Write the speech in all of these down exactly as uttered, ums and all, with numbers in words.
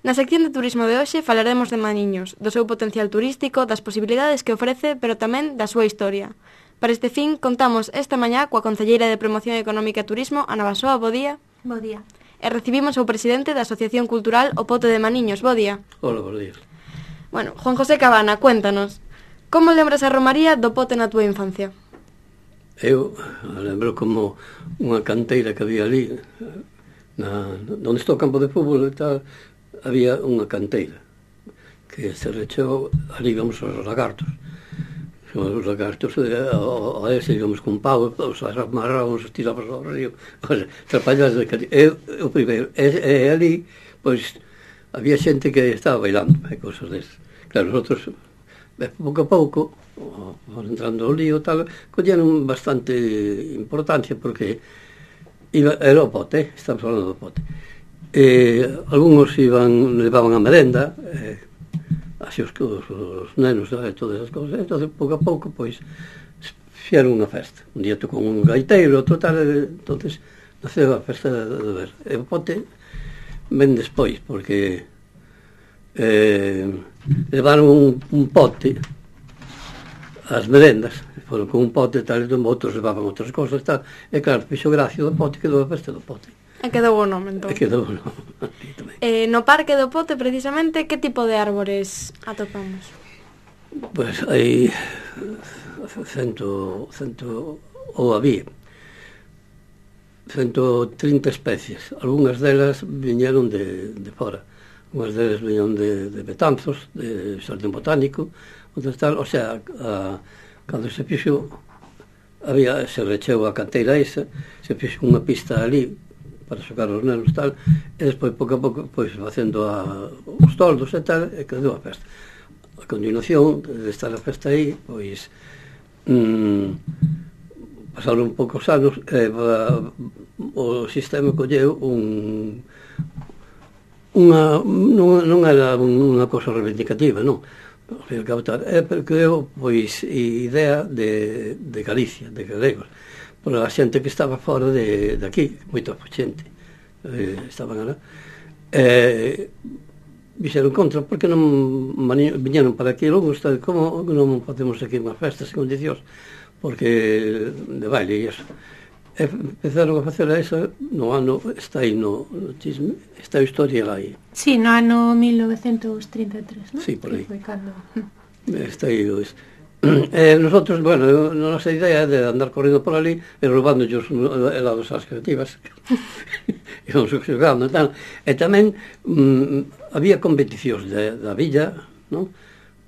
Na sección de turismo de hoxe falaremos de Maniños, do seu potencial turístico, das posibilidades que ofrece, pero tamén da súa historia. Para este fin, contamos esta mañá coa concelleira de Promoción Económica e Turismo, Ana Basoa. Bo día. Bo día. E recibimos ao presidente da Asociación Cultural O Pote de Maniños. Bo día. Hola, bo día. Bueno, Juan José Cabana, cuéntanos, como lembras a romaría do Pote na túa infancia? Eu lembro como unha canteira que había ali, na, onde está o campo de fútbol e tal, había unha canteira que se rechou, ali íbamos os lagartos. Os lagartos, a ese íbamos con pau, os amarrábamos, os tirábamos ao río, trapallas de canteira. Eu, o primeiro, e, e ali, pois, había xente que estaba bailando, e cosas desas. Claro, os outros, pouco a pouco, entrando ao lío, tal, colleron bastante importancia, porque iba, era o pote, estamos falando do pote. Eh, algúns iban, levaban a merenda, eh, así os, os, os nenos, e todas as cousas. Entón, pouco a pouco, pois, fixeron unha festa. Un día tocou un gaiteiro, outro tal, entonces naceu a festa de ver. E o pote ven despois, porque eh, levaron un, un pote as merendas, foron con un pote tal, e outros levaban outras cousas, tal, e claro, fixo gracia do pote, quedou a festa do pote. E quedou o nome, entón. E quedou o nome. Eh, no Parque do Pote, precisamente, que tipo de árbores atopamos? Pois pues hai cento, cento, ou había, ciento trinta especies. Algúnas delas viñeron de, de fora. Algúnas delas viñeron de, de Betanzos, de Xardín Botánico, outras tal, o sea, a, cando se fixo, había, se recheu a canteira esa, se fixo unha pista ali, para xocar os nenos tal, e despois, pouco a pouco, pois, facendo a, os toldos e tal, e quedou a festa. A continuación, de estar a festa aí, pois, mmm, pasaron poucos anos, e a, o sistema colleu un, unha, non, non era unha cosa reivindicativa, non, é porque eu, pois, idea de, de Galicia, de galegos, por a xente que estaba fora de, de aquí, moita xente, eh, estaban alá, eh, vixeron contra, porque non viñeron para aquí, logo, está, como non facemos aquí unha festa en condicións, porque de baile e iso. E empezaron a facer a esa no ano, está aí no, no chisme, está a historia lá aí. Sí, no ano mil novecientos trinta e tres, non? Sí, por aí. Que foi cando... Está aí, pois. Eh, nosotros, bueno, a nosa idea é de andar correndo por ali e roubando os helados ás creativas íbamos xogando e tal, e tamén mm, había competicións de, da villa, non?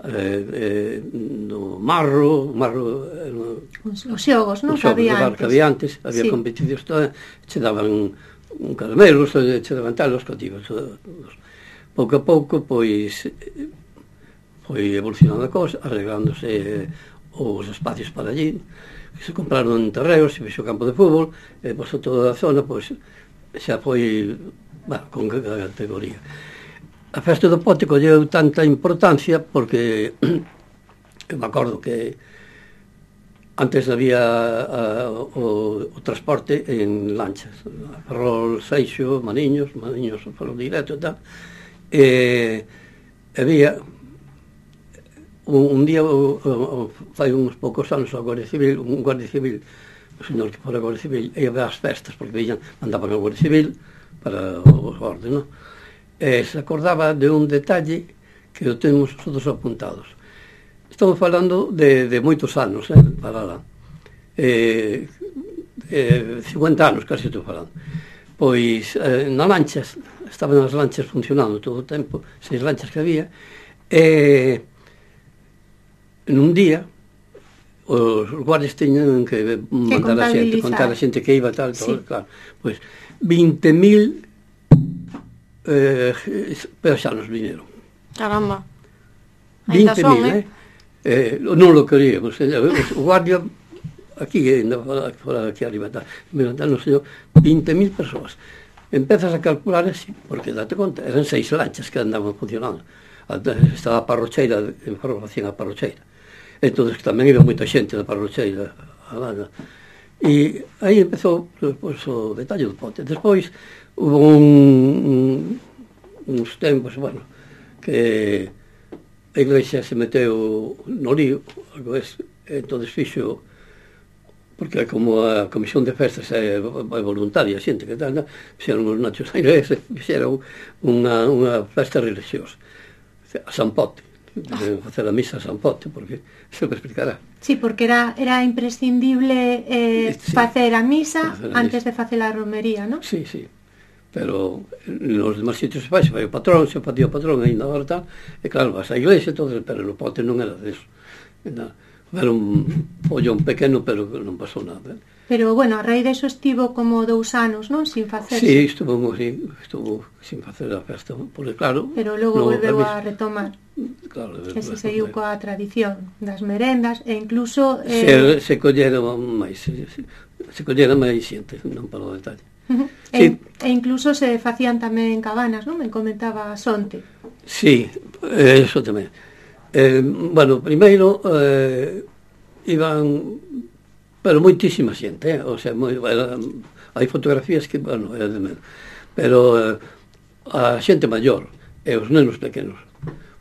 Eh, eh, no marro marro eh, no, os, os xogos, non? Os xogos de bar que había antes, había sí. competicións todas, che daban un caramelos, che daban tal, os cativos pouco a pouco, pois foi evolucionando a cosa, arreglándose os espacios para allí, que se compraron terreos, se fixo campo de fútbol, e pois toda a zona, pois, xa foi, bueno, con categoría. A festa do Pote colleu tanta importancia porque eu me acordo que antes había a, o, o transporte en lanchas, Ferrol, Seixo, Maniños, Maniños, Ferrol directo e tal, e había un, un día, o, o, fai uns poucos anos, a Guardia Civil, un Guardia Civil, o señor que fora a Guardia Civil, ia ver as festas, porque veían, mandaban a Guardia Civil para os orden, non? E se acordaba de un detalle que o temos todos apuntados. Estamos falando de, de moitos anos, eh, para lá. Eh, eh, cincuenta anos, casi estou falando. Pois, eh, nas lanchas, estaban as lanchas funcionando todo o tempo, seis lanchas que había, e nun día os guardias teñen que mandar a xente, contar a xente que iba tal, todo, sí. Claro. Pois vinte mil eh, paisanos viñeron. Caramba. vinte mil, eh? eh? Non lo queríamos. O guardia aquí, fora aquí arriba, me mandaron, señor, vinte mil persoas. Empezas a calcular así, porque date conta, eran seis lanchas que andaban funcionando. Estaba a Parrocheira, en formación a Parrocheira. Entón, tamén iba moita xente da Parrocheira a Lana. E aí empezou, pois, o detalle do Pote. Despois, hubo un, un uns tempos, bueno, que a Iglesia se meteu no lío, algo es, entón fixo, porque como a comisión de festas é, é voluntaria, xente que tal, fixeron os nachos na iglesia, fixeron unha, unha festa religiosa, a San Pote, de facer a misa a San Pote, porque se me explicará. Sí, porque era, era imprescindible eh, sí, facer a misa facer a antes misa. de facer a romería, non? Sí, sí. Pero nos demais sitios se fai, se fai o patrón, se fai o patrón ainda agora tal, e claro, vas á iglesia, todo, pero no Pote non era deso. Era un follón pequeno, pero non pasou nada. Pero, bueno, a raíz deso estivo como dous anos, non? Sin facerse. Sí, estuvo, sí, estuvo sin facer a festa, porque claro... Pero logo no, volveu a retomar. Claro, que se seguiu coa tradición das merendas, e incluso... Eh... Se, se collera máis, se, se collera máis xente, non para o detalle. Uh-huh. Sí. E, e incluso se facían tamén cabanas, non? Me comentaba Sonte. Sí, eso tamén. Eh, bueno, primeiro eh, iban, pero moitísima xente, eh? O sea, moi, era, hai fotografías que, bueno, era de menos, pero eh, a xente maior e os nenos pequenos.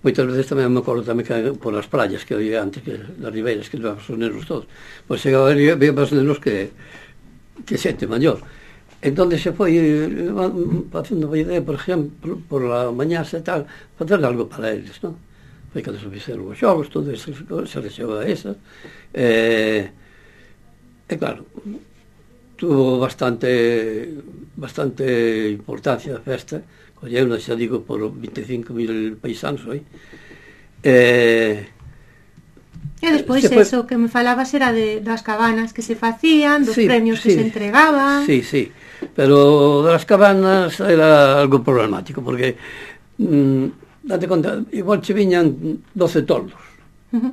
Moitas veces tamén me acordo tamén que por as playas que había antes, que das ribeiras, que levaban os nenos todos, pois chegaba e había máis nenos que, que xente maior. Entón se foi facendo a idea, por exemplo, por la mañá e tal, facer algo para eles, non? Foi cando se fixeron os xogos, todo eso, se rexou a esa. E, e claro, tuvo bastante bastante importancia a festa, colleu, xa digo, por vinte e cinco mil paisanos, oi? E... E despois fue... eso que me falabas era de, das cabanas que se facían, dos sí, premios sí, que se entregaban. Sí, sí, pero das cabanas era algo problemático, porque mmm, date conta, igual che viñan doce toldos, uh-huh.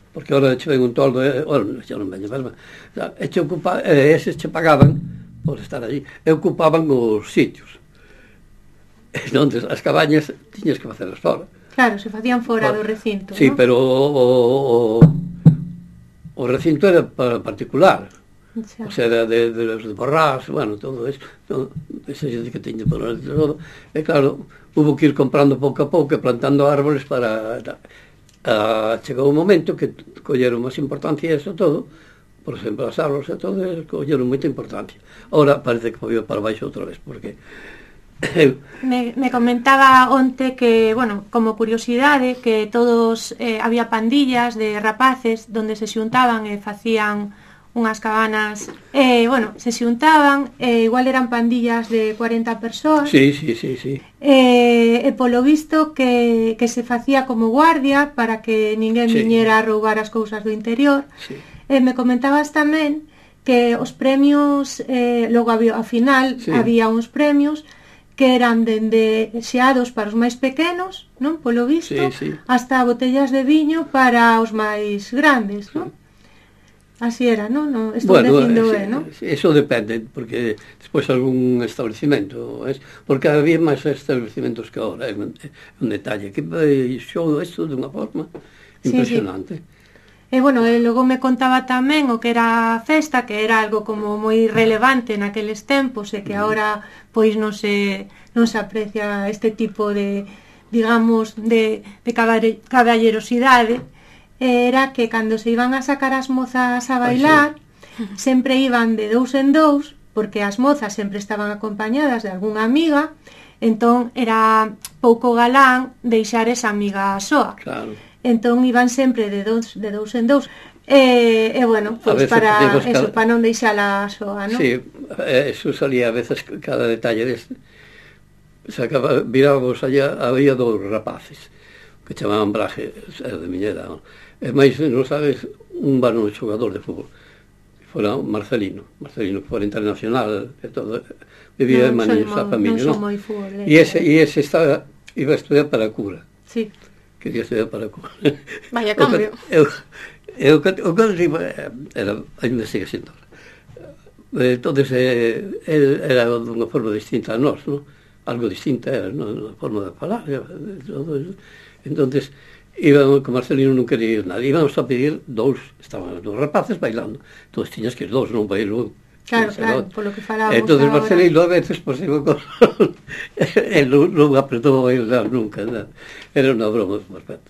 Porque ahora che ven un toldo, e, ora xa non veño, pero, e che ocupa, e eses che pagaban por estar allí, e ocupaban os sitios. Entón, as cabañas tiñas que facelas fora. Claro, se facían fora do recinto, sí, ¿no? Pero o, o, o recinto era para particular, o sea, era de, de los de Borrás, bueno, todo eso, todo, esa xente que teña por todo, e claro, hubo que ir comprando pouco a pouco e plantando árboles para... A, chegou un momento que colleron máis importancia a eso todo, por exemplo, as árboles e todo, colleron moita importancia. Ahora parece que foi para baixo outra vez, porque... Me, me comentaba onte que, bueno, como curiosidade, que todos, eh, había pandillas de rapaces donde se xuntaban e facían unhas cabanas, e, eh, bueno, se xuntaban, e eh, igual eran pandillas de cuarenta persoas. Sí, sí, sí, sí. E, eh, polo visto que, que se facía como guardia para que ninguén sí. viñera a roubar as cousas do interior. Sí. E eh, me comentabas tamén que os premios, eh, logo había, ao final, sí. había uns premios que eran dende xeados para os máis pequenos, non? Polo visto, sí, sí. hasta botellas de viño para os máis grandes, non? Así era, non? No, estou bueno, dicindo, eh, eh, non? Eso depende, porque despois algún establecimento, es, porque había máis establecimentos que ahora, é un, un detalle, que xou isto de unha forma impresionante. Sí, sí. E, bueno, e logo me contaba tamén o que era a festa, que era algo como moi relevante naqueles tempos e que agora pois non se, non se aprecia este tipo de, digamos, de, de caballerosidade. Era que cando se iban a sacar as mozas a bailar, sí. sempre iban de dous en dous, porque as mozas sempre estaban acompañadas de algunha amiga, entón era pouco galán deixar esa amiga soa. Claro. Entón iban sempre de dous, de dous en dous. E, e bueno, pois para eso, cada... para non deixala soa, non? Sí, eso salía a veces cada detalle deste. Sacaba, virábamos allá, había dous rapaces que chamaban Braje, era de Miñera, non? E máis, non sabes, un varón xogador de fútbol, que fora Marcelino, Marcelino que fora internacional e todo, vivía no, en Maniños, a familia, non? E ese, e ese estaba, iba a estudiar para a cura. Sí. Quería estudiar para a cura. Vaya cambio. Eu, eu, o que era, ainda sigue sendo. Entonces, eh, era dunha forma distinta a nós, non? Algo distinta era, non? A forma de falar, todo eso. Entonces, íbamos, con Marcelino non quería ir nada, íbamos a pedir dous, estaban dos rapaces bailando, entón tiñas que ir dous, non bailar Claro, claro, polo que falábamos entonces agora. Marcelino a veces posible con el non, non apretou a bailar nunca, nada. Era unha broma perfecta.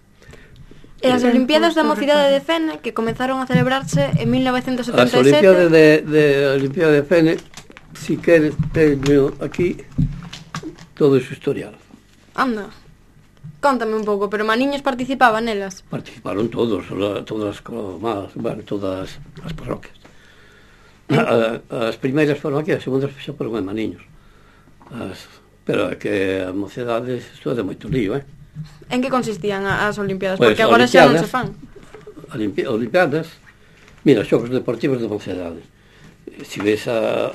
E as Sí. Olimpiadas da Justo Mocidade de recordo. Fene, que comenzaron a celebrarse en mil novecentos As setenta e Olimpiadas sete... de, de Olimpiada de Fene, si queres, teño aquí todo iso historial. Anda, contame un pouco, pero maniños participaban nelas? Participaron todos, todas as comas, bueno, todas as parroquias. A, a, as primeiras foron aquí, as segundas xa foron en Maniños. As, pero é que a mocedade, isto é de moito lío, eh? En que consistían a- as Olimpiadas? Pois, Porque agora xa non se Olimpiadas, fan. Olimpi- Olimpiadas, mira, xogos deportivos de mocedade. Se ves a,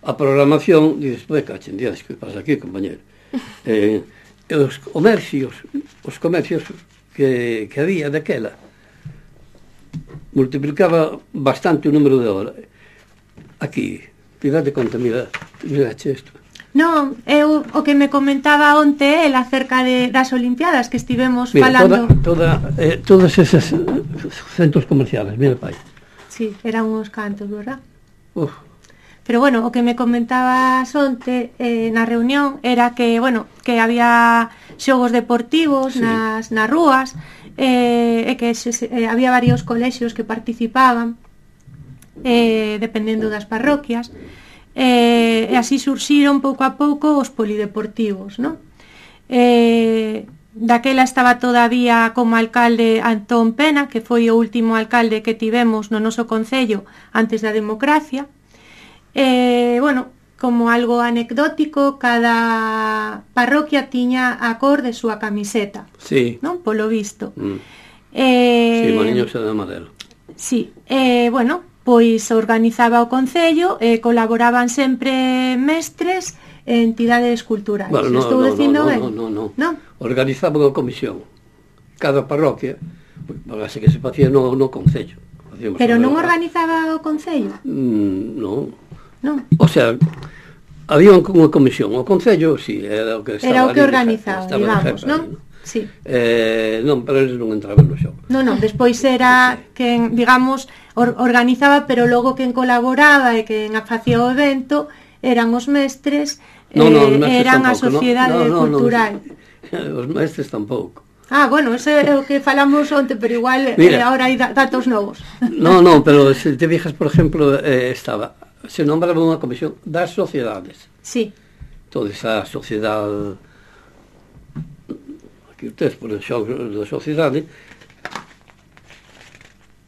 a programación, dices, pues, cachen, días, que pasa aquí, compañero? eh, os comercios, os comercios que, que había daquela, multiplicaba bastante o número de horas. Aquí, tirade conta, mira, mira isto. Non, eu o que me comentaba onte el acerca de, das Olimpiadas que estivemos Mira, falando. toda, toda, eh, todos esos eh, centros comerciales, mira, pai. Sí, eran uns cantos, verdad? Uf, Pero bueno, o que me comentabas onte eh, na reunión era que, bueno, que había xogos deportivos Sí. nas, nas rúas, eh, e que se, se, eh, había varios colexios que participaban, eh, dependendo das parroquias, eh, e así surxiron pouco a pouco os polideportivos, non? Eh, daquela estaba todavía como alcalde Antón Pena, que foi o último alcalde que tivemos no noso concello antes da democracia. Eh, bueno, como algo anecdótico, cada parroquia tiña a cor de súa camiseta, sí. non? Polo visto. Mm. Eh, Sí, Maniños e de Madero. Sí, eh, bueno, pois organizaba o concello, eh, colaboraban sempre mestres e entidades culturais. Bueno, no, Estou no, dicindo no, ben? no, no, no. Non? Organizaban a comisión. Cada parroquia, parece que se facía no, no concello. Facíamos Pero a- non organizaba o concello? Mm, non. Non. O sea, había unha comisión. O concello, sí, era o que estaba Era o que ali de organizaba, jefe, estaba de digamos, jefe non? ali, Sí. Eh, non, pero eles non entraban no xogo. Non, non, despois era quen, digamos, or, organizaba, pero logo quen colaboraba e quen facía o evento eran os mestres, Non, non, os eh, mestres eran a tampouco, sociedade non, non, non, cultural. Os mestres tampouco. Ah, bueno, ese é o que falamos onte, pero igual Mira. eh, ahora hai da- datos novos. Non, non, pero se te fijas, por exemplo, eh, estaba, se nombraba unha comisión das sociedades. Sí, Toda esa sociedade, aquí ustedes, por el xogo da sociedade,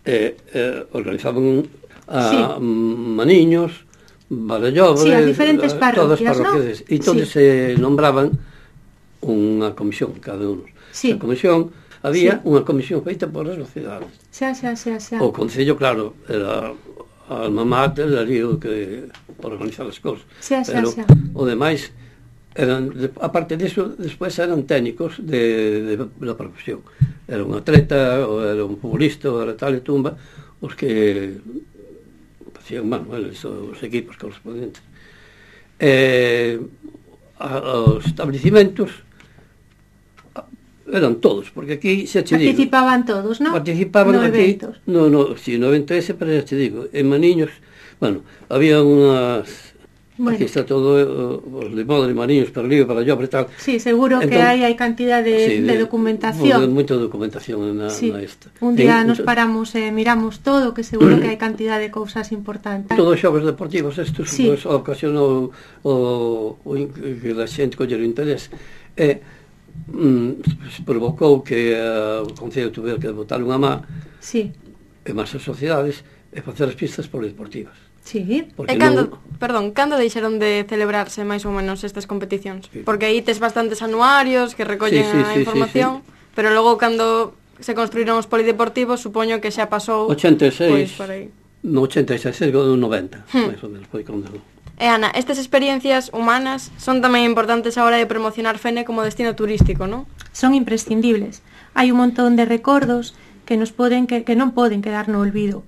eh, eh, organizaban a Sí. Maniños, Valdellobre, Sí, as diferentes eh, parroquias, todas as parroquias. ¿no? E entonces Sí. se nombraban unha comisión, cada uno. Sí. A comisión, había Sí. unha comisión feita por as sociedades. xa, xa, xa, xa. O Concello, claro, era a alma mater, ali o que por organizar as cousas. Xa, xa, Pero xa. o demais eran, de- aparte disso, despois eran técnicos de, de, da profesión. Era un atleta, ou era un futbolista, ou era tal e tumba, os que facían, bueno, eles, os equipos correspondentes. Eh, a, os establecimentos a- eran todos, porque aquí xa che digo, Participaban todos, non? participaban no aquí, eventos. no, no, si, no evento ese, pero xa te digo, en Maniños, bueno, había unhas, Bueno. aquí está todo, eh, os de moda de Maniños, para Lío, para Llobre, tal. Sí, seguro que Entón, hai hai cantidad de, sí, de documentación. de- Moita documentación na, Sí. na esta. Un día En- nos paramos e miramos todo, que seguro que hai cantidad de cousas importantes. Todos os xogos deportivos estes Sí. pues, ocasionou o, o, in- que a xente coller o interés e mm, provocou que uh, o Concello tuvera que botar unha má Sí, e máis as sociedades e facer as pistas polideportivas. sí. Porque E cando, non, perdón, cando deixaron de celebrarse máis ou menos estas competicións? Sí. Porque aí tes bastantes anuarios que recollen Sí, sí, a sí, información, sí, pero logo cando se construíron os polideportivos, supoño que xa pasou ochenta e seis, pois, por aí. no ochenta e seis, no noventa, Hmm. máis ou menos, foi cando... E Ana, estas experiencias humanas son tamén importantes a hora de promocionar Fene como destino turístico, non? Son imprescindibles. Hai un montón de recordos que nos poden que, que non poden quedar no olvido.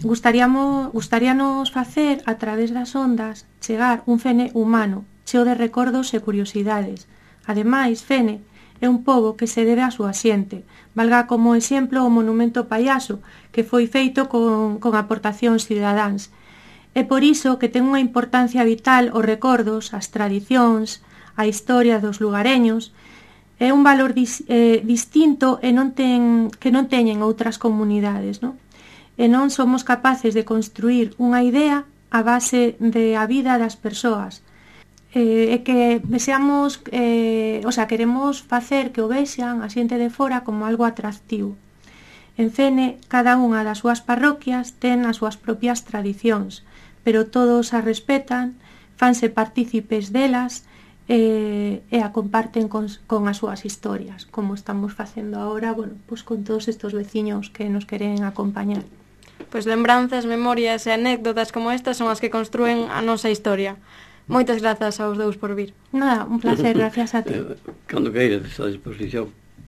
Gustaríamos, gustaríanos facer a través das ondas chegar un Fene humano, cheo de recordos e curiosidades. Ademais, Fene é un pobo que se debe á súa xente. Valga como exemplo o monumento Payaso, que foi feito con, con aportacións cidadáns. É por iso que ten unha importancia vital os recordos, as tradicións, a historia dos lugareños. É un valor dis, eh, distinto e non ten, que non teñen outras comunidades, non? E non somos capaces de construir unha idea a base de a vida das persoas. Eh, é que deseamos, eh, o sea, queremos facer que o vexan a xente de fora como algo atractivo. En Fene, cada unha das súas parroquias ten as súas propias tradicións, pero todos as respetan, fanse partícipes delas e, e a comparten con, con as súas historias, como estamos facendo agora, bueno, pues con todos estos veciños que nos queren acompañar. Pois lembranzas, memorias e anécdotas como estas son as que construen a nosa historia. Moitas grazas aos dous por vir. Nada, un placer, gracias a ti. Cando queiras, a disposición.